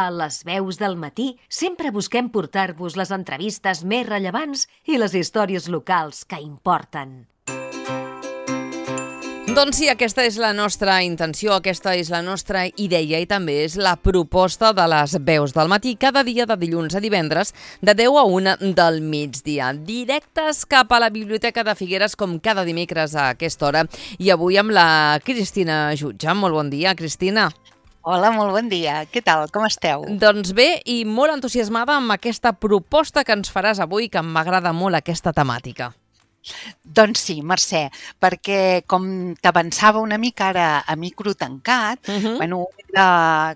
A les veus del matí sempre busquem portar-vos les entrevistes més rellevants i les històries locals que importen. Doncs sí, aquesta és la nostra intenció, aquesta és la nostra idea i també és la proposta de les veus del matí, cada dia de dilluns a divendres, de 10 a 1 del migdia. Directes cap a la Biblioteca de Figueres, com cada dimecres a aquesta hora. I avui amb la Cristina Jutge. Molt bon dia, Cristina. Hola, molt bon dia. Què tal? Com esteu? Doncs bé, i molt entusiasmada amb aquesta proposta que ens faràs avui, que m'agrada molt aquesta temàtica. Doncs sí, Mercè, perquè com t'avançava una mica ara a micro tancat,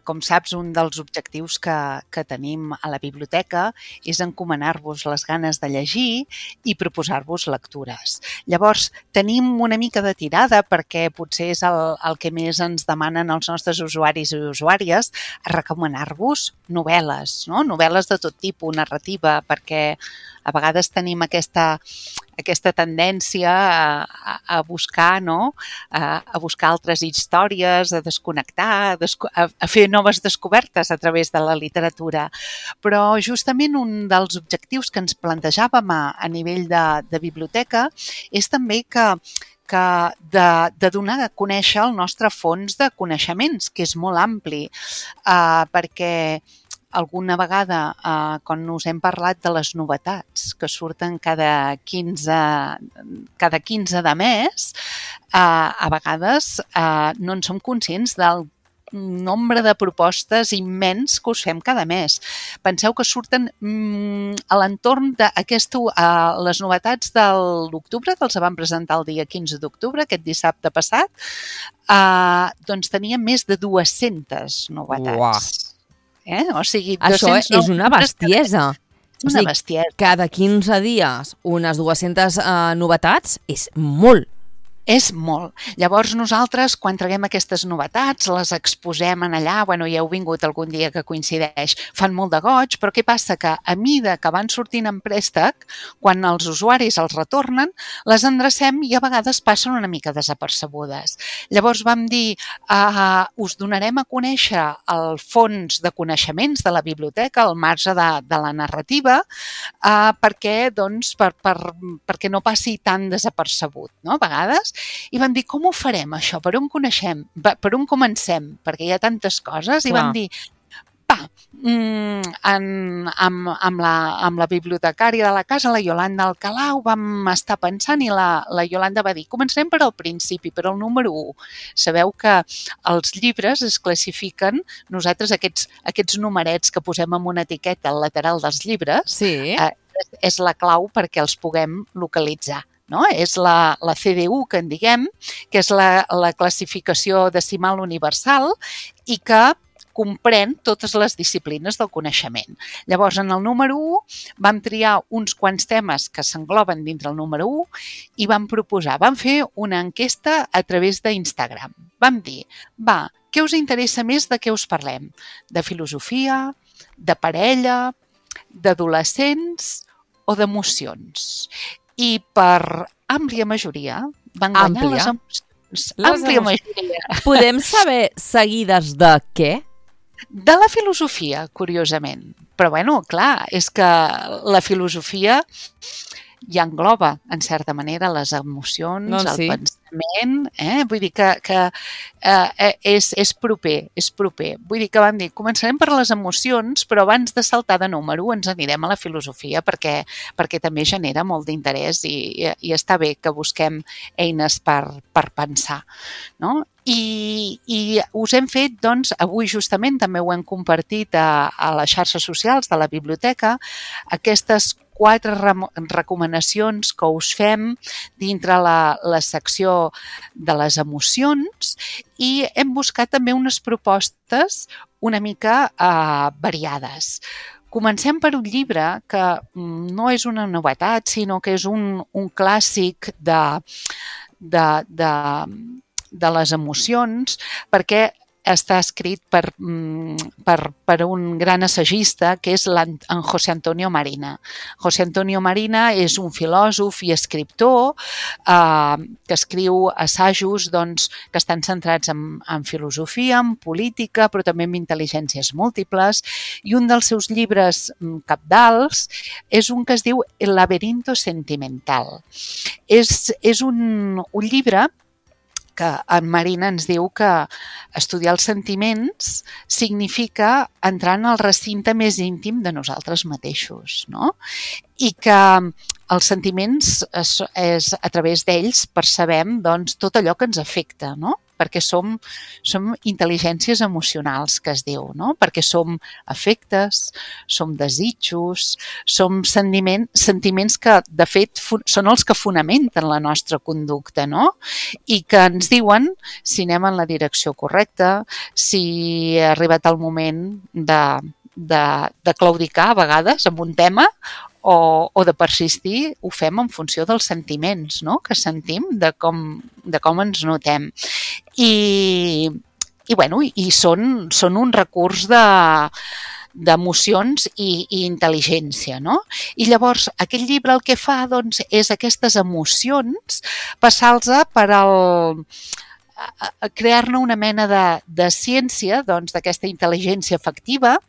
com saps, un dels objectius que tenim a la biblioteca és encomanar-vos les ganes de llegir i proposar-vos lectures. Llavors, tenim una mica de tirada, perquè potser és el que més ens demanen els nostres usuaris i usuàries, a recomanar-vos novel·les, no? Novel·les de tot tipus, narrativa, perquè a vegades tenim aquesta tendència a buscar, no? A buscar altres històries, a desconnectar, a fer noves descobertes a través de la literatura. Però justament un dels objectius que ens plantejàvem a nivell de biblioteca és també de donar a conèixer el nostre fons de coneixements, que és molt ampli, perquè alguna vegada, quan us hem parlat de les novetats que surten cada 15 de mes, a vegades no en som conscients del nombre de propostes immens que us fem cada mes. Penseu que surten a l'entorn les novetats de l'octubre, que els vam presentar el dia 15 d'octubre, aquest dissabte passat, doncs teníem més de 200 novetats. Uau! O sigui, això és una bestiesa. Una bestiesa. Cada 15 dies unes 200 novetats és molt. És molt. Llavors nosaltres, quan traguem aquestes novetats, les exposem en allà, ja heu vingut algun dia que coincideix, fan molt de goig, però què passa? Que a mida que van sortint en préstec, quan els usuaris els retornen, les endrecem i a vegades passen una mica desapercebudes. Llavors vam dir, us donarem a conèixer el fons de coneixements de la biblioteca, al marge de la narrativa, perquè no passi tan desapercebut, no? A vegades. I vam dir, com ho farem això? Per on comencem? Perquè hi ha tantes coses. I vam dir, amb la bibliotecària de la casa, la Iolanda Alcalà, ho vam estar pensant i la Iolanda va dir, començarem per al principi, per al número 1. Sabeu que els llibres es classifiquen, nosaltres aquests numerets que posem en una etiqueta al lateral dels llibres, sí. És la clau perquè els puguem localitzar. No? És la CDU, que en diguem, que és la classificació decimal universal i que comprèn totes les disciplines del coneixement. Llavors, en el número 1 vam triar uns quants temes que s'engloben dintre el número 1 i vam fer una enquesta a través d'Instagram. Vam dir, què us interessa més de què us parlem? De filosofia, de parella, d'adolescents o d'emocions? I per àmplia majoria van guanyar les emocions. Àmplia majoria. Podem saber seguides de què? De la filosofia, curiosament. Però clar, és que la filosofia ja engloba, en certa manera, les emocions, el pensament, vull dir que és proper. Vull dir que vam dir, començarem per les emocions, però abans de saltar de número ens anirem a la filosofia perquè també genera molt d'interès i està bé que busquem eines per pensar, no? I us hem fet, doncs, avui justament també ho hem compartit a les xarxes socials de la biblioteca, aquestes 4 recomanacions que us fem dintre la secció de les emocions i hem buscat també unes propostes una mica variades. Comencem per un llibre que no és una novetat, sinó que és un clàssic de les emocions, perquè està escrit per un gran assagista que és en José Antonio Marina. José Antonio Marina és un filòsof i escriptor que escriu assajos que estan centrats en filosofia, en política, però també en intel·ligències múltiples, i un dels seus llibres cabdals és un que es diu El laberinto sentimental. És un llibre que en Marina ens diu que estudiar els sentiments significa entrar en el recinte més íntim de nosaltres mateixos, no? I que els sentiments, a través d'ells, percebem tot allò que ens afecta, no? Perquè som intel·ligències emocionals, que es diu, no? Perquè som afectes, som desitjos, som sentiments que, de fet, són els que fonamenten la nostra conducta, no? I que ens diuen si anem en la direcció correcta, si ha arribat el moment de claudicar a vegades amb un tema o de persistir, ho fem en funció dels sentiments, no?, que sentim, de com ens notem. I són un recurs d'emocions i intel·ligència, no? I llavors aquest llibre el que fa és aquestes emocions passar-los per crear-ne una mena de ciència d'aquesta intel·ligència afectiva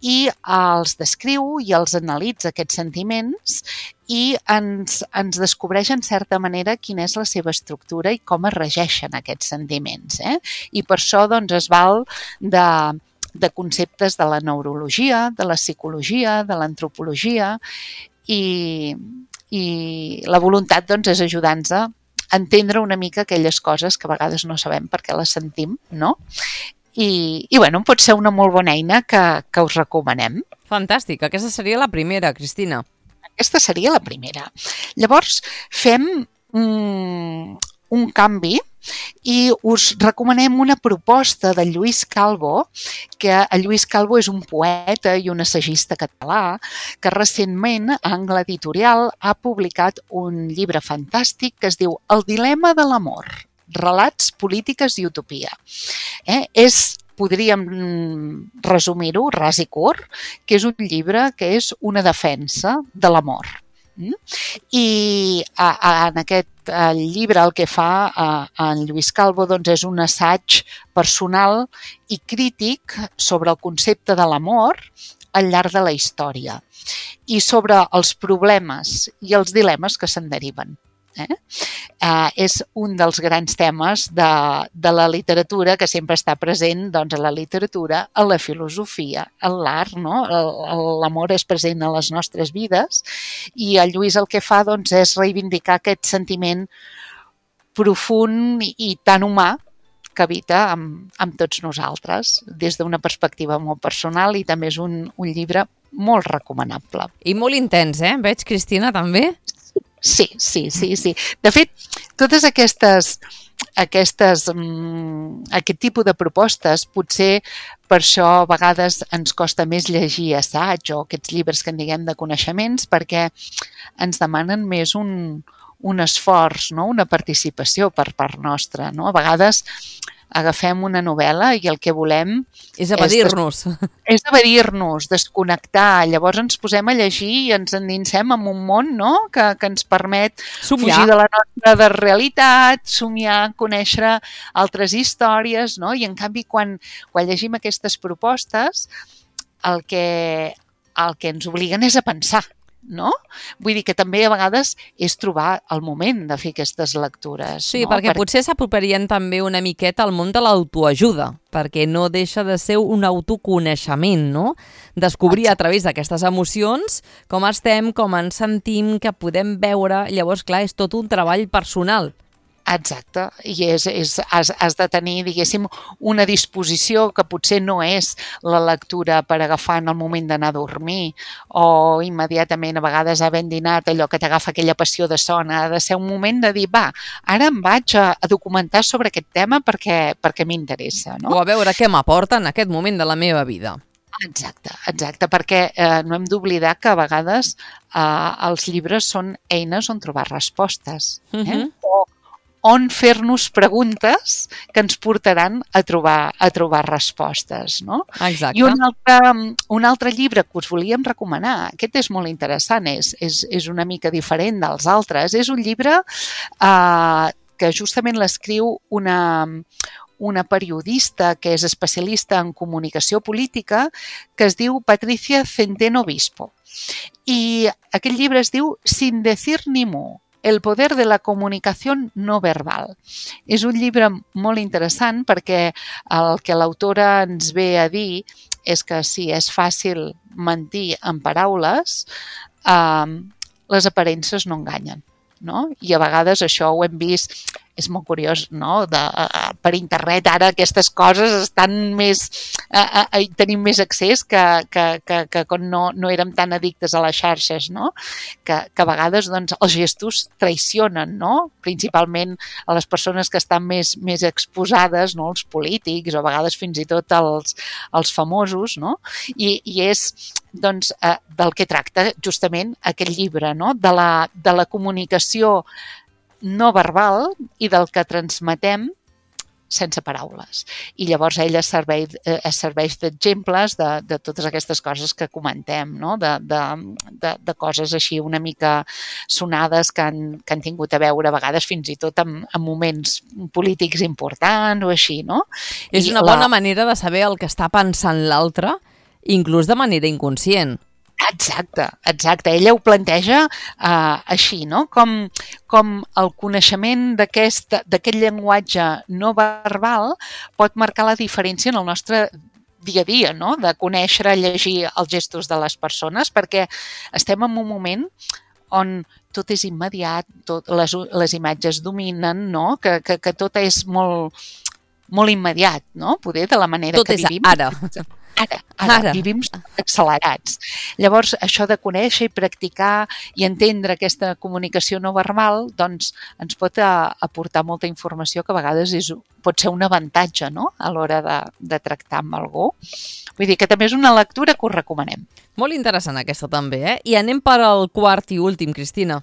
i els descriu i els analitza aquests sentiments i ens descobreix en certa manera quina és la seva estructura i com es regeixen aquests sentiments. I per això es val de conceptes de la neurologia, de la psicologia, de l'antropologia i la voluntat és ajudar-nos a entendre una mica aquelles coses que a vegades no sabem per què les sentim, no? I pot ser una molt bona eina que us recomanem. Fantàstic. Aquesta seria la primera, Cristina. Aquesta seria la primera. Llavors, fem un canvi i us recomanem una proposta de Lluís Calvo, que el Lluís Calvo és un poeta i un assagista català que recentment a Angle Editorial ha publicat un llibre fantàstic que es diu El dilema de l'amor, relats, polítiques i utopia. Podríem resumir-ho, ras i curt, que és un llibre que és una defensa de l'amor. I en aquest llibre el que fa en Lluís Calvo és un assaig personal i crític sobre el concepte de l'amor al llarg de la història i sobre els problemes i els dilemes que se'n deriven. És un dels grans temes de la literatura que sempre està present a la literatura, a la filosofia, a l'art, no? L'amor és present a les nostres vides i el Lluís el que fa és reivindicar aquest sentiment profund i tan humà que habita amb tots nosaltres des d'una perspectiva molt personal i també és un llibre molt recomanable. I molt intens, Veig, Cristina, també? Sí. De fet, totes aquest tipus de propostes, potser per això a vegades ens costa més llegir assaig o aquests llibres que en diguem de coneixements, perquè ens demanen més un esforç, no? Una participació per part nostra. No? A vegades agafem una novel·la i el que volem és evadir-nos. És evadir-nos, desconnectar. Llavors ens posem a llegir i ens endinsem en un món, no? que ens permet fugir de la nostra realitat, somiar, conèixer altres històries, no? I en canvi quan llegim aquestes propostes el que ens obliguen és a pensar. No? Vull dir que també a vegades és trobar el moment de fer aquestes lectures. Sí, no? Perquè potser s'apropiarien també una miqueta al món de l'autoajuda, perquè no deixa de ser un autoconeixement, no? Descobrir a través d'aquestes emocions com estem, com ens sentim, que podem veure. Llavors, clar, és tot un treball personal. Exacte, i has de tenir, diguéssim, una disposició que potser no és la lectura per agafar en el moment d'anar a dormir o immediatament a vegades havent dinat allò que t'agafa aquella passió de son. Ha de ser un moment de dir, ara em vaig a documentar sobre aquest tema perquè m'interessa. No? O a veure què m'aporta en aquest moment de la meva vida. Exacte, perquè no hem d'oblidar que a vegades els llibres són eines on trobar respostes. on fer-nos preguntes que ens portaran a trobar respostes, no? Exacte. I un altre llibre que us volíem recomanar, aquest és molt interessant, és una mica diferent dels altres, és un llibre que justament l'escriu una periodista que és especialista en comunicació política que es diu Patricia Centeno Bispo. I aquest llibre es diu Sin decir ni mu. El poder de la comunicació no verbal. És un llibre molt interessant perquè el que l'autora ens ve a dir és que si és fàcil mentir en paraules, les aparences no enganyen. No? I a vegades això ho hem vist, és molt curiós, no? Per internet ara aquestes coses estan més, tenim més accés que quan no érem tan addictes a les xarxes, no? Que a vegades doncs, els gestos traicionen, no? Principalment a les persones que estan més exposades, no? Els polítics o a vegades fins i tot els famosos, no? I és doncs, del que tracta justament aquest llibre, no? De la comunicació no verbal i del que transmetem sense paraules. I llavors ella serveix d'exemples de totes aquestes coses que comentem, no? De coses així una mica sonades que han tingut a veure a vegades fins i tot en moments polítics importants o així, no? És una bona manera de saber el que està pensant l'altre, inclús de manera inconscient. Exacte. Ella ho planteja així, no? Com el coneixement d'aquest llenguatge no verbal pot marcar la diferència en el nostre dia a dia, no? De conèixer, llegir els gestos de les persones, perquè estem en un moment on tot és immediat, les imatges dominen, no? Que tot és molt immediat, no? Poder de la manera que vivim. Tot és ara. Ara. Vivim accelerats. Llavors, això de conèixer i practicar i entendre aquesta comunicació no verbal, doncs ens pot aportar molta informació que a vegades pot ser un avantatge, no? A l'hora de tractar amb algú. Vull dir que també és una lectura que us recomanem. Molt interessant aquesta també, eh? I anem per al quart i últim, Cristina.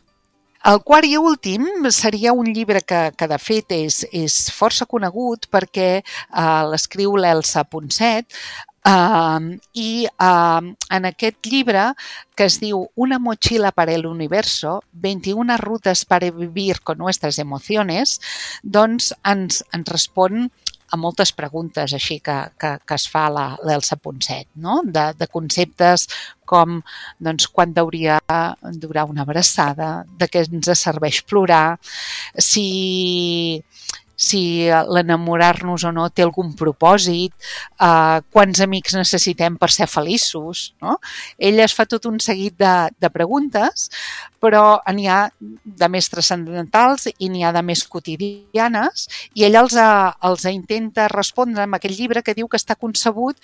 El quart i últim seria un llibre que de fet és força conegut perquè l'escriu l'Elsa Ponset, i en aquest llibre que es diu Una mochila para el universo, 21 rutas para vivir con nuestras emociones, doncs ens respon a moltes preguntes així que es fa l'Elsa Ponset, no? De conceptes com doncs, quan hauria durar una abraçada, de què ens serveix plorar, si l'enamorar-nos o no té algun propòsit, quants amics necessitem per ser feliços, no? Ella es fa tot un seguit de preguntes, però n'hi ha de més transcendentals i n'hi ha de més quotidianes, i ella els intenta respondre amb aquest llibre que diu que està concebut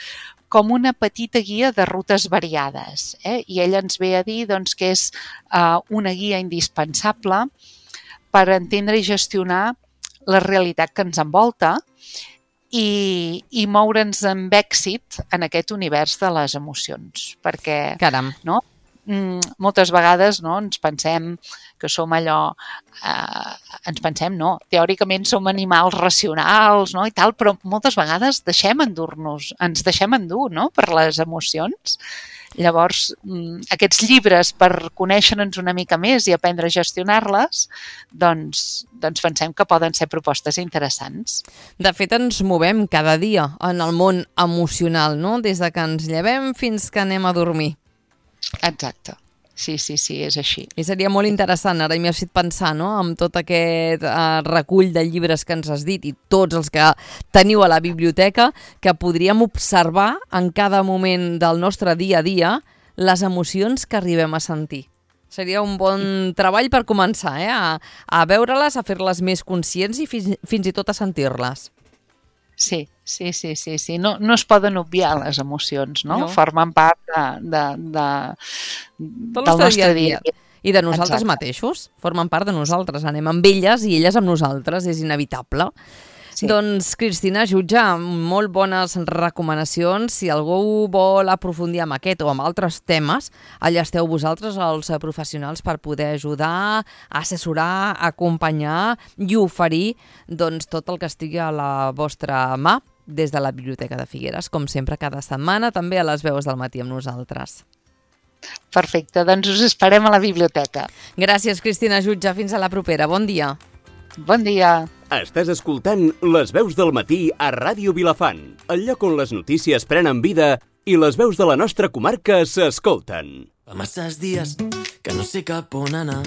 com una petita guia de rutes variades. I ella ens ve a dir doncs, que és una guia indispensable per entendre i gestionar la realitat que ens envolta i moure'ns amb èxit en aquest univers de les emocions. Perquè, caram, no? Moltes vegades no, ens pensem que som allò, teòricament som animals racionals, no, i tal, però moltes vegades ens deixem endur, no, per les emocions. Llavors, aquests llibres, per conèixer-nos una mica més i aprendre a gestionar-les, doncs pensem que poden ser propostes interessants. De fet, ens movem cada dia en el món emocional, no? Des de que ens llevem fins que anem a dormir. Exacte. Sí, és així. I seria molt interessant, ara m'he fet pensar, no?, amb tot aquest recull de llibres que ens has dit i tots els que teniu a la biblioteca, que podríem observar en cada moment del nostre dia a dia les emocions que arribem a sentir. Seria un bon treball per començar, a veure-les, a fer-les més conscients i fins i tot a sentir-les. Sí. No es poden obviar les emocions, no? Formen part del nostre dia a dia. I de nosaltres mateixos. Formen part de nosaltres. Anem amb elles i elles amb nosaltres. És inevitable. Sí. Doncs, Cristina Jutge, molt bones recomanacions. Si algú vol aprofundir amb aquest o amb altres temes, allà esteu vosaltres, els professionals, per poder ajudar, assessorar, acompanyar i oferir doncs, tot el que estigui a la vostra mà des de la Biblioteca de Figueres, com sempre, cada setmana, també a les veus del matí amb nosaltres. Perfecte, doncs us esperem a la biblioteca. Gràcies, Cristina Jutge. Fins a la propera. Bon dia. Bon dia. Estàs escoltant Les veus del matí a Ràdio Vilafant, el lloc on les notícies prenen vida i les veus de la nostra comarca s'escolten. Fa masses dies que no sé cap on anar.